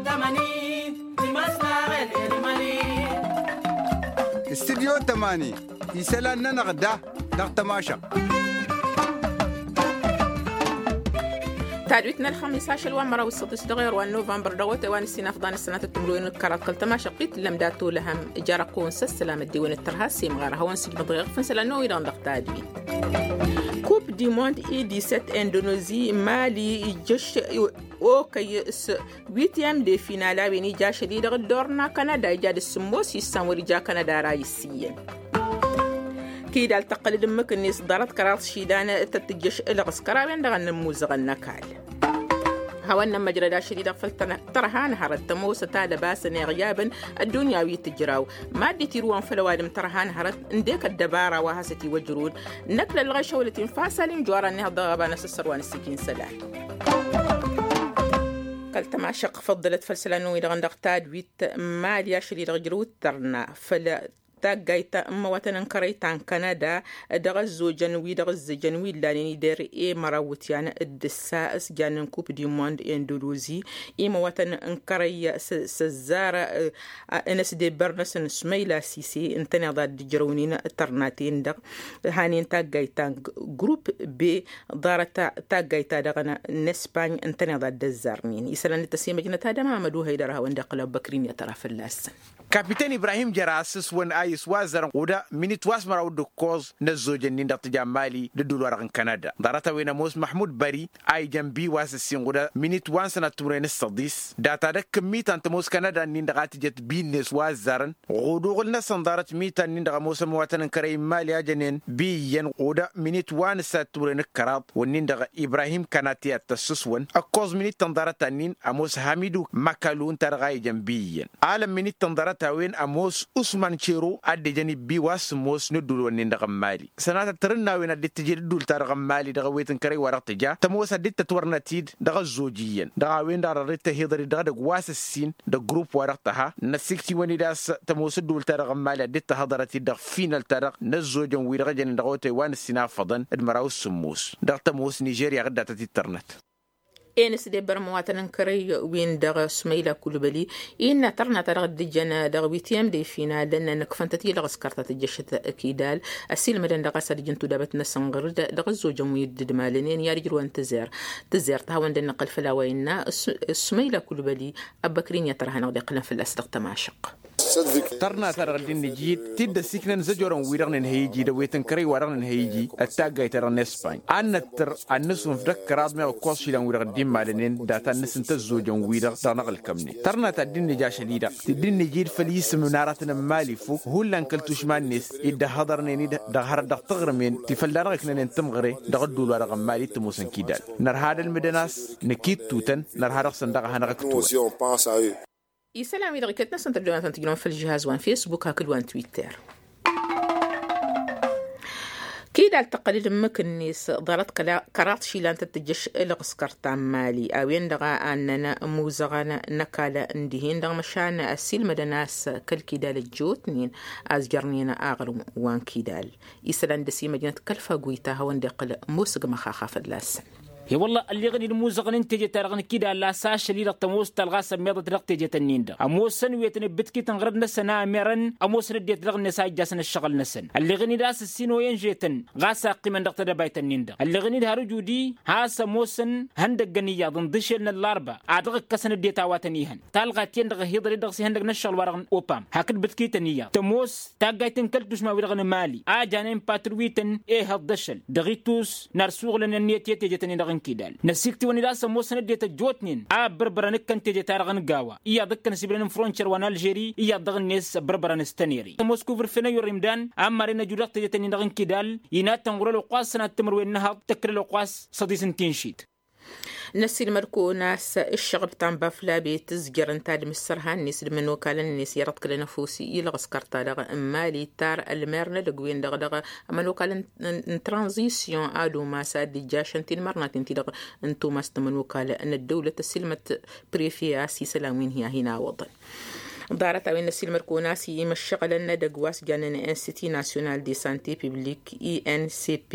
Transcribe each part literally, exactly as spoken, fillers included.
Tămani. Timăsnaɣel. Irmali. Studyo tămani. Isălan-nănăɣ da dăɣ-tămašăɣt. Tadwit n-ălxămis ašăl wa n-măraw d-săḍis dăɣ-erwa n-novămbăr dăɣ-otay wa n-ǝssin afḍan ăssănatăt timǝrwen d-kăraḍ kăl-tămašăɣt-i tǝllăm dat-olăhăm. Ijăr ăqqoon s-ăssălam ăddewăn d-tărha s-imɣar ad-hawăn-sǝjmăḍ ɣef n-isălan n-oy-dăɣ dăɣ-tadwit. Coupe du monde i disset indonozi mali ijjăš okăy s-witiyăm de final a-wen ija ašăl-i-dăɣ dd-orna kanada ija d-sǝmmos issan wăr ija kanada ara issi iyyăn. Kidal tăqqăl d-ǝmmǝk-net ḍarăt kăraḍ šidan tăt-tǝjjăš ǝlɣǝskăr a-wen-dăɣ a n-nǝmmuzăɣăn n-ăkall. Hawăn-nămmăjrăd ašăl-i-dăɣ făll-tărha n-hărăt tămoosăt ad-ăbasăn iɣyaben ăddunya wi tǝjraw. Mad-dd-tirǝwăn făll-ăwadǝm tărha n-hărăt ǝndek ăddăbara wa hasăt-iwăjrăwăn. Năkk lăllăɣ išăwlăt-in fasalin jora-net dăɣ-ăba n-asǝssăr wa n-ǝssǝjin isălan. Kăl-tămašăɣt făḍḍălăt făll-isălan-wi-dăɣ dăɣ-tadwit n-mali ašăl-i-dăɣ ǝjrăw d-tărna făll-taggayt n-imăwatăn n-kărăy ta n-kanada. Dăɣ-ăzzojăn wi-dăɣ ǝzzǝjăn wi ǝllanen i-der i-măraw iwǝtyan d-ǝssa s-jannen kup du monde indonozi. Imăwatăn n-kărăy s-ăzzar ănăsdebbăr-năsăn sumăyla sise ǝntăneḍ ad-dd-ǝjrăwnen tărnaten-dăɣ. Hanen taggayt ta n-grup be ḍarăt taggayt-ta-dăɣ n-espany ǝntăneḍ ad-dd-ăzzarnen isălan d-tăsimăjnăt ad-ămamăd uhăydăr a hawăn-dd-iqqǝl abbăkrin i-ad-tăra fălla-săn. Kapiten ibrahim jăr-a ăssǝswăn a iswazzărăn ɣud-minit wa s-măraw d-ǝkkoẓ n-ăzzojăn-in-dăɣ tǝja n-mali d-ǝddul-wa-dăɣ n-kanada. Ḍarăt-a-wen ămoos măhmud bări a ijăn bi wa s-ǝssin ɣud-minit wa n-sănat timǝrwen d-săḍis data d-ăkk n-mitan tămoos kanada-nin-dăɣ a tǝjăt bi-net wa ăzzarăn ɣud-uɣǝl-năsăn ḍarăt mitan-nin-dăɣ ămoosăn imăwatăn n-kărăy n-mali a jănen bi iyyăn ɣud-minit wa n-sănat timǝrwen d-kăraḍ wǝnnin-dăɣ ibrahim kanati ad-t-ăssǝswăn. Ǝkkoẓ minit-tăn ḍarăt-ta-nin ămoos hamidu măkălu ǝnta-dăɣ a ijăn bi iyyăn alăn minit-tăn ḍarăt-a-wen ămoos usman cero a dd-ijăn ibbi wa s-ămoos n-ǝddul-wǝnnin-dăɣ n-mali. Sănatăt tărǝnna a-wen a dd-tǝjǝd ǝddul-ta-dăɣ n-mali dăɣ-ewet n-kărăy wa dăɣ-tǝja tămoos a dd-tătwărnăt-dd dăɣ-ăzzoj iyyăn dăɣ-a-wen-dăɣ a dd-tăhiḍăr-dd dăɣ-edăgg wa s-ǝssin dăgg-grupp wa dăɣ-tăha. Năssiktǝwăn-dd a-s tămoos ǝddul-ta-dăɣ n-mali a dd-tăhăḍărăt-dd dăɣ-finăl-ta-dăɣ n-ăzzojăn wi-dăɣ ǝjănen dăɣ-otay wa n-ǝssin afăḍăn d-măraw s-sǝmmos dăɣ-tămoos nižerya ɣǝddatăt-dd tărnăt. Enǝs d-ebbăr măwatăn n-kărăy-win-dăɣ sumăyla kulbăli innă tărna-ta-dăɣ dd-ǝjăn dăɣ-witiyăm de finalăn nǝkfăn-tăt i-lăɣ s-kărta tǝjjăšăt kidal. Ăsilmădăn dăɣ-a-s ad-ǝjǝn tudabăt-năsăn ɣǝr-dd dăɣ-ăzzojăn wi dd-ǝdmalănen i-ad-ǝjrǝwăn tǝzer tǝzer tăhawăn-dd-nǝqqǝl făll-a-wa innă. Sumăyla kulbăli ăbbăkrin i-ad-tărha-năɣ dd-iqqǝlăn fălla-s dăɣ-tămašăq. Tărna-ta-dăɣ dd-innǝjid t-dd-ăsiknăn zăjorăn-wi-dăɣ nǝnhăy iji d-ăwet n-kărăy-wa-dăɣ nǝnhăy iji d-taggayt-ta-dăɣ n-espany ad-năttăr ad-nǝsunǝf d-ăkkăraḍ meɣ ǝkkoẓ išilan-wi-dăɣ dd-immalănen data n-nǝsǝnta ăzzojăn-wi-dăɣ dăɣ-năɣ-ǝlkămnen. Tărna ta dd-innǝj ašăl-i-dăɣ dd-innǝjid făll-isǝm n-aratăn n-mali fok hullan kăl-tušma-net dd-ăhhăḍărnen-dd dăɣ-hărăt dăɣ-taɣrǝmen ti fălla-dăɣ ǝknănen tǝmɣăre dăɣ-ădduul-wa-dăɣ n-mali t-ămoosăn kidal. Nărha ad-ălmǝdăn a-s năkittutăn nărha dăɣ-săn daɣ a hanăɣ-ǝktǝwăn. Isălan-wi-dăɣ iket-năsăn tăddobantăn tǝjnăwăn făll-žihaz wa n-fesbuk hakd wa n-twitter. Kidal tăqqăl-dd ǝmmǝk-net ḍarăt kăraḍ išilan tăt-tǝjjăš ǝlɣǝskăr ta n-mali a-wen-dăɣ a ănnăn imuzăɣăn n-ăkall n-dihen-dăɣ măšan ăssiilmădăn a-s kăl-kidal ăjjootnen a ǝzjărnen aɣrǝm wa n-kidal. Isălan d-ăsimăjnăt kăl-faguyta hawăn-dd-iqqǝl musǝgmăx axa fălla-săn. He-wălla ălleɣăn-dd imuzăɣăn n-teje-ta-dăɣ n-kidal a-s ašăl-i-dăɣ tămoos talɣa sămmeḍăt dăɣ-teje-tăn-in-dăɣ ămoosăn wi tăn-ǝbbǝtkităn ɣărăt-năsăn a ămerăn ămoosăn ăddinăt dăɣ-net a ijjasăn ǝššăɣǝl-năsăn. Ălleɣăn-dd a-s ǝssin oyyăn žetăn ɣas a ǝqqimăn dăɣ-tedăbayt-nin-dăɣ ălleɣăn-dd har ǝjud-i has-ămoosăn ihăndăggăn iyyăḍ n-dăšel n-ăllarba ad-dăɣ-ǝkkăsăn ăddinăt a-wa tăn-ihăn talɣa ti-en-dăɣ ăhiḍăr-dd dăɣ-s ihăndăgg n-ǝššăɣǝl-wa-dăɣ n-opam hakd bǝtkităn iyyăḍ tămoos taggayt n-kăl-tušma-wi-dăɣ n-mali a janen patrǝwităn ehăḍ d-ašăl dăɣ-itus n-ar suɣǝlăn ănniyăt i-teje-tăn-in-dăɣ n-kidal. Năsiktǝwăn-dd a-s ămoosăn ăddinăt ăjjootnen a ăbbărbărăn ǝkkăn teje-ta-dăɣ n-gawa iyyăḍ ǝkkăn ăsiblen n-frontier wa n-alžeri iyyăḍ dăɣ-net ăbbărbărăn s-tănere tămoos kuvǝrfen ăyyor imdan a ămmaren ăjud dăɣ-teje-tăn-in-dăɣ n-kidal. Inattăn ɣur-ălwăqq wa s-sănat timǝrwen n-ehăḍ tăkkăl ălwăqq wa s-săḍis n-tinšit. Năssiilmăd-kăwăn a-s ǝššăɣǝl ta n-bafla be tǝzjăr n-tadǝm s-sărha-net d-imănokalăn-net i-răḍkălăn ăfuss i-lăɣ s-kărta-dăɣ n-mali tar ălmer n-edăgg-wen-dăɣ dăɣ-imănokal n-tranzisyon ad-umas ad-dd-ijjašăn tinmărnaten-ti-dăɣ n-tumas n-imănokal n-ăddăwlăt ăssiilmăd prefe a-s isălan wi n-hi-a hin-awăḍăn. Ḍarăt a-wen n-ăsilmăd-kăwăn a-s imăššăɣǝlăn n-edăgg wa s-jannen n-institut national de sante publik i n c p,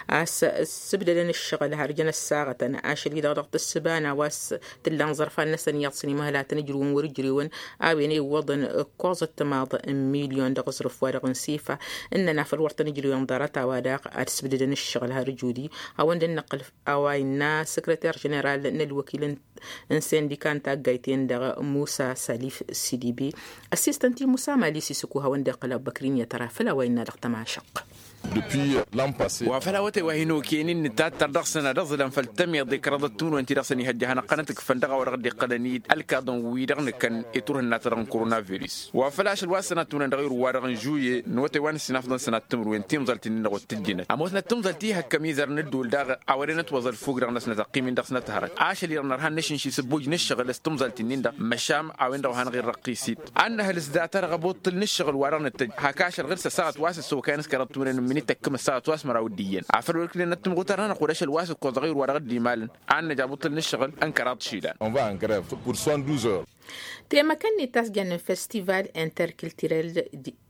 a-s ǝssǝbdădăn ǝššăɣǝl har jăn ăssaɣătăn ašăl-i-dăɣ dăɣ-tǝssǝba n-a-wa s-tǝllan ẓărfan-năsăn iyyăḍ s-inimăhăl ad-tăn-ǝjrǝwăn wăr-ǝjrewăn. A-wen iwwăḍăn ǝkkoẓăt timaḍ n-milyon dăɣ-aẓrǝf wa-dăɣ n-sifa. Ǝnnăn afăl wăr-tăn-ǝjrǝwăn ḍarăt a-wa daɣ ad-sǝbdădăn ǝššăɣǝl har ǝjudi. Hawăn-dd-năqqǝl a-wa innă săkrăter ženeral n-ălwăkil n-sindika n-taggayt-en-dăɣ musa salif sidibi. Ăssiistăn-t-i musa mali sisǝku hawăn-dd-iqqǝl abbăkrin i-ad-tăra făll-a-wa innă dăɣ-tămašăqq. Wa făl awătay wa hin-okăyăn-in nǝtattăr dăɣ-săn ad-ăẓǝlăn făll-tămiḍe d-kăraḍăt timǝrwen ti dăɣ-săn ihăjja hanăɣ-tăn-ătǝkfăn dăɣ-a-wa dăɣ-dd-iqqălăn-dd ălkaḍăn-wi-dăɣ nǝkăn i-turhǝnna-ta-dăɣ n-korona virus. Wa făl ašăl wa s-sănat tunăn dăɣ-irǝw-wa-dăɣ n-žuye n-awătay wa n-ǝssin afḍăn sănat timǝrwen timẓalt-in-dăɣ wăr tǝjjǝnăt ămoosnăt timẓalt ihăkk ămizăr n-ădduul daɣ a-wa dăr-inătwăẓ ălfuk-dăɣ-năsnăt ăqqim-in dăɣ-snăt hărăt ašăl-i-dăɣ nărha n-ašǝnš isǝbbuj n-ǝššăɣǝl s-timẓalt-in-dăɣ măšan a-wen-dăɣ wa hanăɣ-irrăqqis-dd. Ad-năhăl s-data-dăɣ abuṭṭǝl n-ǝššăɣǝl wa dăɣ-nǝttăjj hak ašăl ɣǝr-s ăssaɣăt wa s-ăssokayăn s-kăraḍ timǝrwen n-minit tăkk m-ăssaɣăt wa s-măraw d-iyyăn afăl wăr ǝknen ăttǝmɣutărăn-anăɣ-dd ašăl wa s-ǝkkoẓ dăɣ-irǝw wa dăɣ-dd-imalăn. Ad-năj abuṭṭǝl n-ǝššăɣǝl n-kăraḍ išilan. Temăkăn-net ta s-jannen festival interkulturel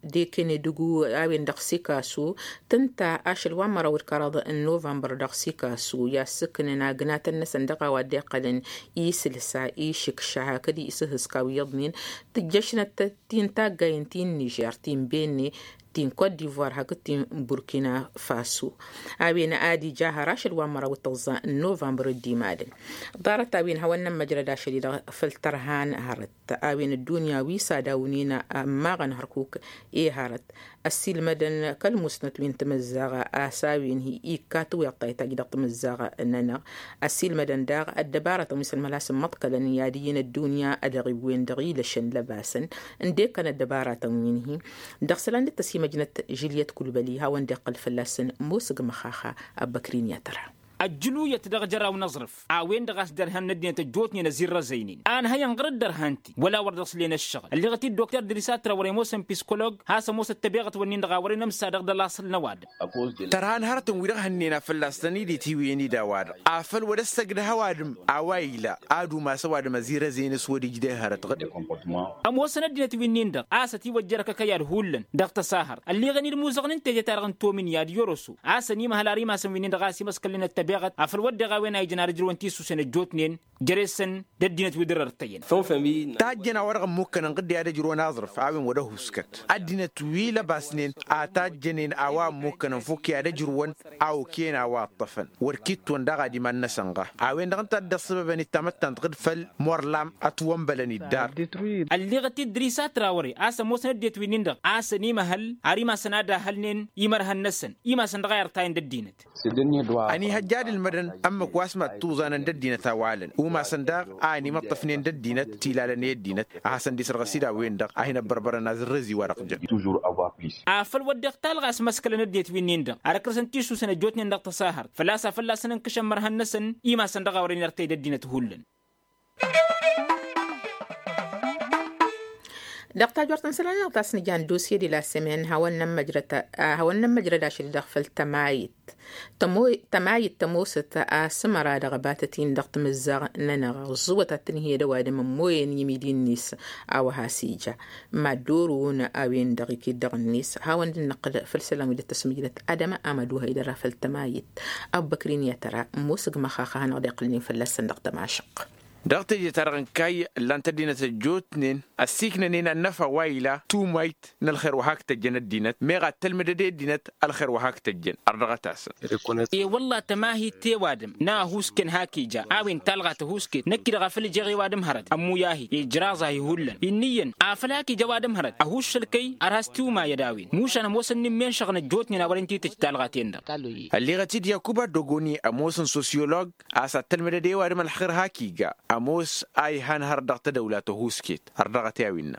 de kenedǝgu a-wen dăɣ-sikasu tǝnta ašăl wa n-măraw d-kăraḍ n-novămbăr dăɣ-sikasu i-ad-sǝknăn agnatăn-năsăn dăɣ-a-wa dd-iqqălăn isǝlsa išǝkša hakd isǝhǝska wi iyyăḍnen. Tǝjjăšnăt ti n-taggayen ti n-nižer ti n-benne ti n-kot divoir hakd ti n-burkina faso. A-wen ad-ija har ašăl wa n-măraw d-tăẓẓa n-novămbăr dd-imalăn. Ḍarăt a-wen hawăn-nămmăjrăd ašăl-i-dăɣ făll-tărha n-hărăt a-wen ăddunya wi s-ad-awnen ămmaɣăn hărkuk i-hărăt ăssiilmădăn kăl-musnăt wi n-tamǝzzaɣ a-s a-wen hi-ikka tǝwweḍ ta itajj dăɣ-tamǝzzaɣ-nănăɣ. Ăssiilmădăn daɣ ăddăbarătăn wi s-ălmălas n-imăḍkălăn i-ad-ǝyyǝn ăddunya ad-dăɣ-iwwen dăɣ-ilăšăn lăbasăn n-dd-ekkăn ăddăbarătăn wi n-hi. Dăɣ-isălan dd-tăsimăjnăt žiliyăt kulbăli hawăn-dd-iqqăl fălla-săn musǝg măxaxa. Abbăkrin i-ad-tăra. Ăjjǝluyăt dăɣ-jăraw n-aẓrǝf a-wen-dăɣ a-s dărhăn n-ăddinăt ăjjootnen ăzirrăzăynen a ǝnhăyăn ɣur-dd ărhan-t-i wăla wăr dăɣ-sǝllen ăššăɣǝl ălliɣăt-dd dokter dăr-isa tǝrăwre ămoosăn piskoloog has-ămoos ăttăbeɣăt-wǝnnin-dăɣ a wărăn ămsa dăɣ-idălaṣăl n-ăwadǝm. Tărha n-hărătăn wi-dăɣ hănnena fălla-s tăn-idit hiwǝyăn-dd ăwadǝm afăl wăr-ăssăgdăh ăwadǝm a-wa ila ad-umas ăwadǝm ăzirăzăyăn s-wăr-ijde hărăt ɣǝd. Ămoosăn ăddinăt wi-nin-dăɣ a-s ătiwăjja ărkăkăy ad-hullan dăɣ-tăsahărt ălliɣăn-dd imuzăɣăn n-teje-ta-dăɣ n-tomin i-ad-iyyăr oso a-s ănimăhăl ar imassăn wi-nin-dăɣ a-s imăskălnen ăttăbeɣăt afăl wădden a-wen a ijăn ar ǝjrăwăn tisusen ăjjootnen jere-săn d-ăddinăt wi dd-rărtăyăn. Tajjăn a-wa-dăɣ ămmukkănăn ɣǝdde ad-ăjrăwăn aẓrǝf a-wen wăr-ăhuskăt ăddinăt wi lăbasnen a tajjănen a-wa ămmukkănăn fokki ad-ăjrǝwăn a okăyăn a-wa ǝṭṭăfăn wăr kittǝwăn daɣ ad-iman-năsăn ɣa. A-wen-dăɣ ǝnta a dd-ăṣṣăbăbăn d-tamăttant ɣǝd făll-morlam ătwănbălăn-dd dar. Ălliɣăt-dd dăr-isa trawăre a-s ămoosăn ăddinăt wi-nin-dăɣ a-s ănimăhăl ar imassăn ad-ahălnen imărhăn-năsăn imassăn dăɣ-a irtayăn d-ăddinăt. Ănihăjja ad-ǝlmădăn ămmǝk wa s-mad tuẓanăn d-ăddinăt a-wa ǝlăn umasăn daɣ a ănimăṭṭăfnen d-ăddinăt tilalăn i-ăddinăt a hasăn-dd-isărɣăs-dd a-wen-dăɣ a hin-ăbbărbărăn azărrez-i-wa-dăɣ jăn. A făl wădden talɣa a-s măskălăn ăddinăt wi-nin-dăɣ ar ǝkrăsăn tisusen ăjjootnen dăɣ-tăsahărt făl-a-s a fălla-săn ǝnkǝšăn mărhăn-năsăn imassăn dăɣ-a wărăn irtăy d-ăddinăt hullan. Dăɣ-tajort n-isălan-nănăɣ ta s-nǝja n-dosye de la sămen hawăn-nămmăjrăd ašăl-i-dăɣ făll-tămayit tămayit tămoosăt a-s ămăra dăɣ-abatăt-in dăɣ-timǝzzaɣ-nănăɣ ǝẓẓǝwăt ad-tǝnhǝyăd ăwadǝm ămmoyăn i-imidi-net. A-wa has-ija mad-orǝwăn a-wen-dăɣ iket dăɣ-net hawăn-dd-năqqǝl făll-isălan wi dd-tăsmǝjrăt adăma amăduhăy dăr-a făll-tămayit. Abbăkrin i-ad-tăra ămoosăg măxaxa a hanăɣ-dd-iqqǝlnen fălla-săn dăɣ-tămašăqq. Dăɣ-teje-ta-dăɣ n-kayy ǝllan-t ăddinăt ăjjootnen ăssiiknănen ad-năfa wa ila tumayt n-ălxer wa hak tăjjăn ăddinăt meɣ ad-tălmǝdăd i-ăddinăt ălxer wa hak tăjjăn. Ărdăɣăt-asăn. E-wălla tămahit i-ăwadǝm n-ahusken hak ija a-wen talɣa tăhusket năkk-i-dăɣ a făl ǝjeɣ i-ăwadǝm hărăt ămmuyah-i ijraẓ-ahi hullan. Inn'-iyyăn afăl hak ija ăwadǝm hărăt ăhuššăl kăy-i ărhas tiwmayăd a-wen mušan ămoosăn n-immenšăɣ n-ăjjootnen a wărăn titǝj talɣa-ten-dăɣ. Ălliɣăt-dd yakuba dogoni ămoosăn sosyolog a-s ad-tălmǝdăd i-ăwadǝm ălxer hak iga ămoos a ihan hărăt dăɣ-tădăwla tăhusket. Ărdăɣăt i-a-winna.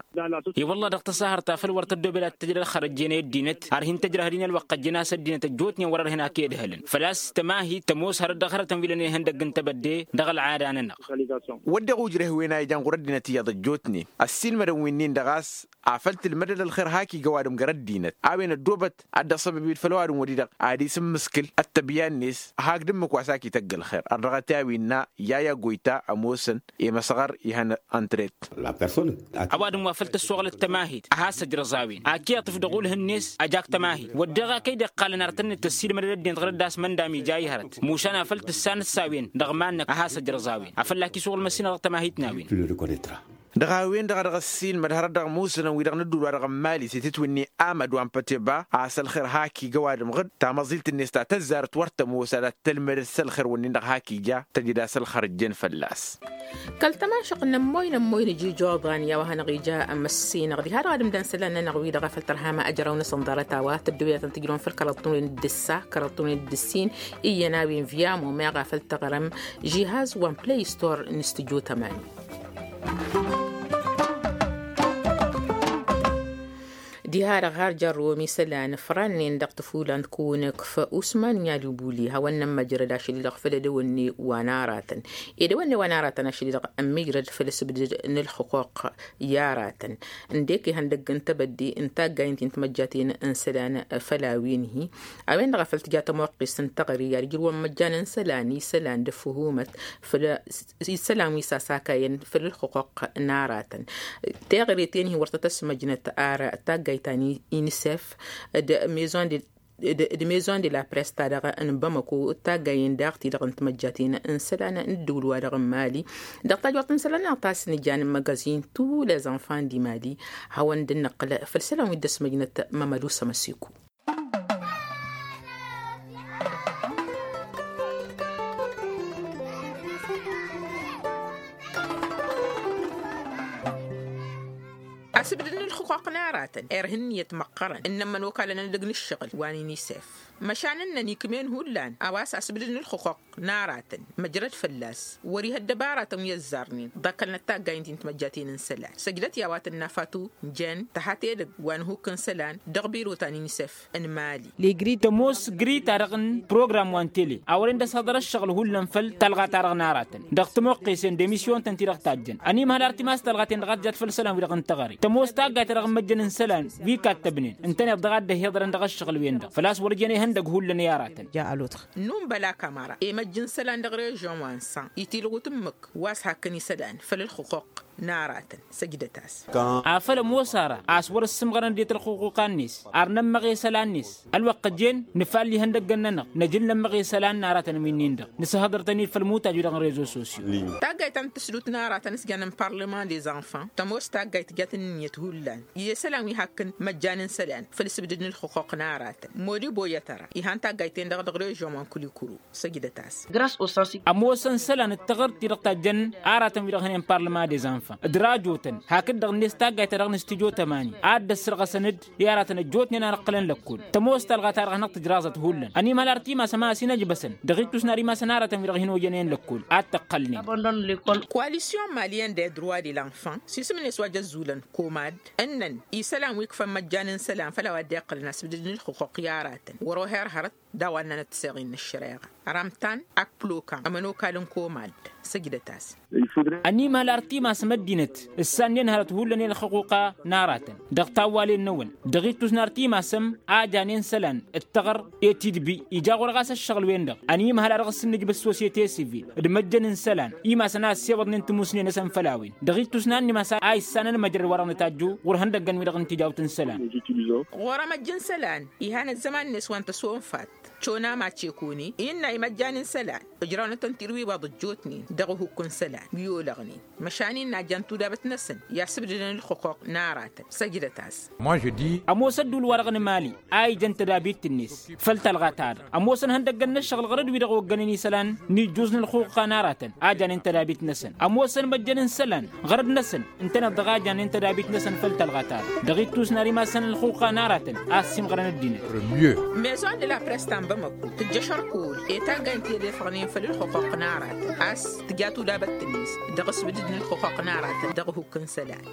I-wălla dăɣ-tăsahărt afăl wăr tăddobed ad-tăjrăd xărăjjen i-ăddinăt ar hin-tăjrăhăd-in ălwăqq ăjjăn a-s ăddinăt ăjjootnen wăr-ărhen ak i-ădhălăn făl-a-s tămahit tămoos hărăt dăɣ-hărătăn wi lănen ihăndăgg n-tebădde dăɣ-ălɣada-nănăɣ. Wădden ujreh-wen a ijan ɣur-ăddinăt iyyăḍ ăjjootnen ăssiilmădăn wi-nin-dăɣ a-s afăl tǝlmădăd ălxer hak iga ăwadǝm gar ăddinăt a-wen ăddoobăt ad-dd-ăṣṣăbăb-dd făll-ăwadǝm wăr-i-dăɣ ad-isǝmmǝskǝl ăttăbya-net hak d-ǝmmǝk wa s-ak ităgg ălxer ărdăɣăt i-a-winna. Yaya goyta ămoos ălxăqqăr-tăn i-măsɣăr ihăn ăntret. Ăwadǝm wa făl tăssoɣlăt tămahit a has-ăjrăẓ a-wen ad-t-iyyăḍ tǝfdăɣ ulh-net ăj ak tămahit wădden ɣakăy dd-iqqalăn ar tăn-dd-tăssiid mădăd ăddinăt ɣur-dd a-s măndam ija ihărăt mušan a făl tǝssanăt s-a-wen dăɣ-iman-năk a has-ăjrăẓ a-wen. Afăl lak-iswăɣ ălmăssinăɣ dăɣ-tămahit n-a-wen. Dăɣ-a-wen-dăɣ a dăɣ-ăssiilmăd hărăt dăɣ-musǝnăn wi-dăɣ n-ǝddǝwǝl wa dăɣ-n mali s-itǝtwǝnni amăd wa n-păteba a-s ălxer hak ija ăwadǝm ɣǝd tamăẓilt-net ta tăzzarăt wăr tămoos ad-tălmădăd s-ălxer wǝnnin-dăɣ hak ija tăjǝd a-s ălxer ǝjjen fălla-s. Kăl-tămašăɣt n-ămmoy n-ămmoy n-iji joḍan i-a-wa hanăɣ-ija amăssinăɣ diha-dăɣ ad-ǝmdan isălan-nănăɣ wi-dăɣ a făl tărha ma ăjraw-năsăn ḍarăt-a-wa tăddoyătăn tǝjrăwăn făll-kăraḍ tunwen d-ǝssa kăraḍ tunwen d-ǝssin. Iyyăn a-wen via momeɣ a făl tăɣrăm žihaz wa n-play store n-stujo tămani. Diha-dăɣ har jărrăwăm isălan fărannen dăɣ-tăfulan d-kăwăn-ǝkf usman n-alubuli hawăn-nămmăjrăd ašăl-i-dăɣ făll-edăwănne wa n-aratăn. Edăwănne wa n-aratăn ašăl-i-dăɣ ămmijrăd făll-asǝbdǝd n-ǝlxǝquq i-aratăn ǝndek ihăndăgg n-tebădde n-taggayǝn ti n-timăjjaten n-isălan făll-a-wen-hi. A-wen-dăɣ a făl tǝja tămoqqest n-teɣăre i-ad-ǝjrǝwăn imăjjan n-isălan isălan d-ăffuhumăt făll-isălan wi s-asakayăn făll-ǝlxǝquq n-aratăn. Teɣăre-ten-hi wăr tăt-ăsmăjnăt ar taggayt ta n-inisef d-maison de d-maison de la press ta dăɣ-n bamăko d-taggayen daɣ-ti-dăɣ n-timăjjaten n-isălan n-ǝddǝwǝl-wa-dăɣ n-mali. Dăɣ-tajwărt n-isălan-nănăɣ ta s-nǝja n-magazin tous les enfants du mali. Hawăn-dd-nǝqqǝl făll-isălan wi dd-ăsmăjnăt mămădu sămăsiko. Asǝbdǝd n-ǝlxǝquq n-aratăn irha ǝnniyăt măqqărăn ǝnnăn imănokalăn edăgg n-ǝššăɣǝl wa n-inisef. Măšan ǝnnăn ikm'-en hullan a-wa s-asǝbdǝd n-ǝlxǝquq n-aratăn măjrăd fălla-s wăr-ihăddăb aratăn wi ăzzarnen ḍakkălnăt taggayǝn ti n-timăjjaten n-isălan săjdăt i-a-wa tǝnna fatu n-jen tăhat edăgg wa n-ihukk n-isălan dăɣ-biro ta n-inisef n-mali. Tămoos gri-ta-dăɣ n-program wa n-tele a wăren d-ăshăḍăr ǝššăɣǝl hullan făll-talɣa-ta-dăɣ n-aratăn dăɣ-tămoqqesen d-emisyon-tăn-ti-dăɣ tajjăn ănimhăl ar timas talɣa-ten-dăɣ a tǝjat făll-isălan-wi-dăɣ n-teɣăre tămoos taggayt-ta-dăɣ n-imăjjăn n-isălan wi kattăbnen ǝntăneḍ dăɣ-a dd-ăhhiḍărăn dăɣ-ǝššăɣǝl-wen-dăɣ făl-a-s wăr jen ihăndăg hullan i-aratăn. Nunbăla kamara emăjj n-isălan dăɣ-režion wa n-san itǝlɣut ǝmmǝk wa s-hakkăn isălan făll-ǝlxǝquq n-aratăn săjdăt-as. Afăl ămoos ara a-s wăr-ǝssǝmɣărăn ăddinăt ǝlxǝquqa-net ar nămmăɣ i-isălan-net ălwăqq ǝjjen nǝfall ihăndăggăn-nănăɣ năj ǝnnămmăɣ i-isălan n-aratăn wi-nin-dăɣ nǝsǝhhăḍăr-tăn-dd făll-imutaj-wi-dăɣ n-rezo sosyo. Taggayt ta n-tǝsdut n-aratăn s-jannen parlament des enfants tămoos taggayt tǝjăt ǝnniyăt hullan i-isălan wi hakkăn măjjan n-isălan făll-isǝbdǝd n-ǝlxǝquq n-aratăn modibo i-atăra ihan taggayt-ten-dăɣ dăɣ-režion wa n-kulikuru. Săjdăt-as. Ămoosăn isălan d-taɣărt-ti-dăɣ tajjăn aratăn-wi-dăɣ hănen parlament des enfants d-rajotăn hakd-dăɣ-net taggayt-ta-dăɣ n-stujo tămani ad-dd-ăssărɣăsăn-dd i-aratăn ăjjootnen a nǝqqǝlăn lăkkol. Tămoos talɣa-ta-dăɣ a hanăɣ-tǝjraẓăt hullan ănimhăl ar timasăm a ăsinăjbăsăn dăɣ-ittus n-ad-imasăn aratăn-wi-dăɣ hin-ojănen lăkkol ad-t-ăqqălnen. Koalisyon malyen des droits de l-enfants s-isǝm-net wa jăzzulăn komad ǝnnăn isălan wi ǝkfăn măjjan n-isălan făll-a-wa dd-iqqălăn asǝbdǝd n-ǝlxǝquq i-aratăn wăr-oher hărăt d-a-wa ǝnnănăt tiseɣin n-ăššăreɣa. Ramtan ak plokan ămănokal n-komad săjdăt-as. Ănimhăl ar timasăm ăddinăt ǝssannen hărăt hullan i-ălxăquqa n-aratăn dăɣ-tawwalen-năwăn dăɣ-ittus n-ar timasăm a janen isălan d-taɣăr i-tidbi ija ɣur-ɣas ăššăɣǝl-wen-dăɣ ănimhăl a dăɣ-s ǝnnǝjbǝs sosiyete sivil d-măjjăn n-isălan imasăn a ăssewăḍnen tǝmusnen-năsăn făll-a-wen dăɣ-ittus n-ad-nimas a issănăn măjrăd wa dăɣ-nǝtajju ɣur-ihăndăggăn-wi-dăɣ n-tijawt n-isălan. Ɣur-emăjj n-isălan ihan ăzzăman-net wa n-tăsonfat cona macekoni innă imăjjan n-isălan ǝjrawnăt ăntirwiwaḍ ăjjootnen dăɣ-ehukk n-isălan wi olăɣnen măšan innă a jan tudabăt-năsăn i-asǝbdǝdăn ǝlxǝquq n-aratăn. Săjdăt-as. Ămoos ădduul-wa-dăɣ n-emali a ijăn tădabit-net făll-talɣa-ta-dăɣ ămoosăn ihăndăggăn n-ăššăɣǝl ɣărăd-wi-dăɣ oggănen isălan n-ijjuz n-ǝlxuqqa n-aratăn a janen tădabit-năsăn ămoosăn măjjăn n-isălan ɣărăd-năsăn ǝntăneḍ-dăɣ a janen tădabit-năsăn făll-talɣa-ta-dăɣ dăɣ-ittus n-ad-imasăn ǝlxuqqa n-aratăn a ăssiimɣărăn ăddinăt. Maison de la press ta n-bamăko tǝjjăš ărkul i-taggayt n-ti-ălefăɣnen făll-ǝlxuqq n-aratăn a-s tǝja tudabăt-net dăɣ-asbǝdǝd n-ǝlxuqq n-aratăn dăɣ-ehukk n-isălan.